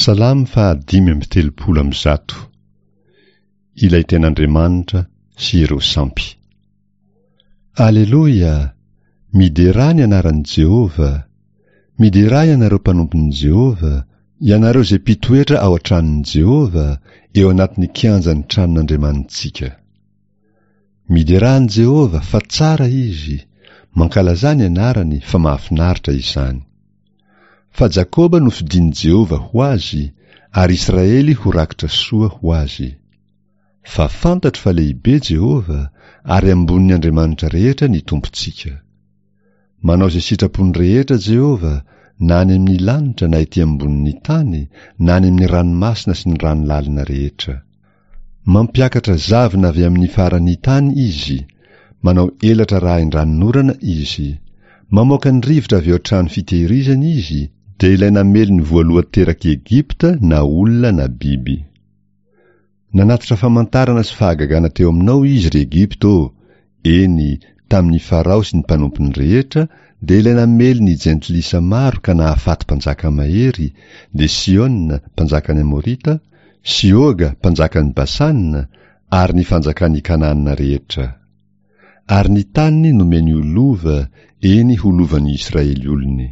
Salamo faha 135. Ilay tena Andriamanitra sy ireo sampy. Aleloia! Miderà ny anaran'i Jehovah! Miderà ianareo mpanompon'i Jehovah, ianareo izay mpitoetra ao an-tranon'i Jehovah, eo anatin'ny kianjan'ny tranon'Andriamanitsika. Miderà an'i Jehovah, fa tsara izy, mankalazà ny anarany, fa mahafinaritra izany. Fa Jakoba nofidin'i Jehovah ho azy, ary Israely ho rakitra soa ho azy. Fa fantatro fa lehibe Jehovah, ary ambonin'ny andriamanitra rehetra ny Tompontsika. Manao izay sitrapony rehetra Jehovah, na any amin'ny lanitra na ety ambonin'ny tany, na any amin'ny ranomasina sy ny rano lalina rehetra. Mampiakatra zavona avy amin'ny faran'ny tany Izy, manao elatra rahin-dranonorana Izy. Mamoaka ny rivotra avy ao an-trano fitehirizana Izy, dia ilay namely ny voalohan-terak'i Egypta na olona na biby. Nanatitra famantarana sy fahagagana teo aminao Izy, ry Egypta ô, eny, tamin'i Farao sy ny mpanompony rehetra, dia ilay namely ny jentilisa maro ka nahafaty mpanjaka mahery, dia Sihona, mpanjakan'ny Amorita, sy Oga, mpanjakan'i Basana, ary ny fanjakan'i Kanana rehetra. Ary ny taniny nomeny ho lova, eny ho lovan'ny Israely olony.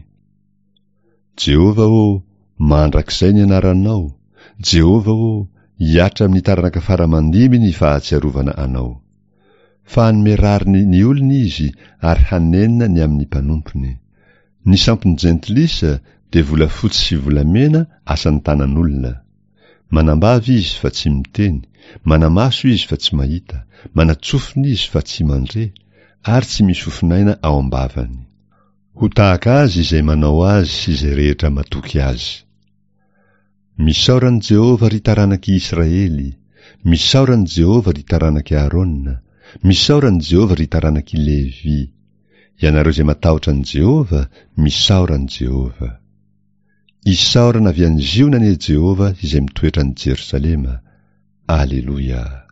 Jehovah ô, mandrakizay ny anaranao, Jehovah ô, hihatra amin'ny taranaka fara aman-dimby ny fahatsiarovana anao. Fa hanome rariny ny olony izy ary hanenina ny amin'ny mpanompony. Ny sampin'ny jentilisa dia volafotsy sy volamena asan'ny tanan'olona. Manambava izy fa tsy miteny, manamaso izy fa tsy mahita, manatsofina izy fa tsy mandre, ary tsy misy fofon'aina ao am-bavany. Ho tahaka azy izay manao azy sy izay rehetra matoky azy. Misaora an'i Jehovah, ry taranak'i Israely! Misaora an'i Jehovah, ry taranak'i Aharôna! Misaora an'i Jehovah, ry taranak'i Levy! Ianareo izay matahotra an'i Jehovah, misaora an'i Jehovah! Isaorana avy any Ziona anie Jehovah izay mitoetra any Jerosalema! Aleloia!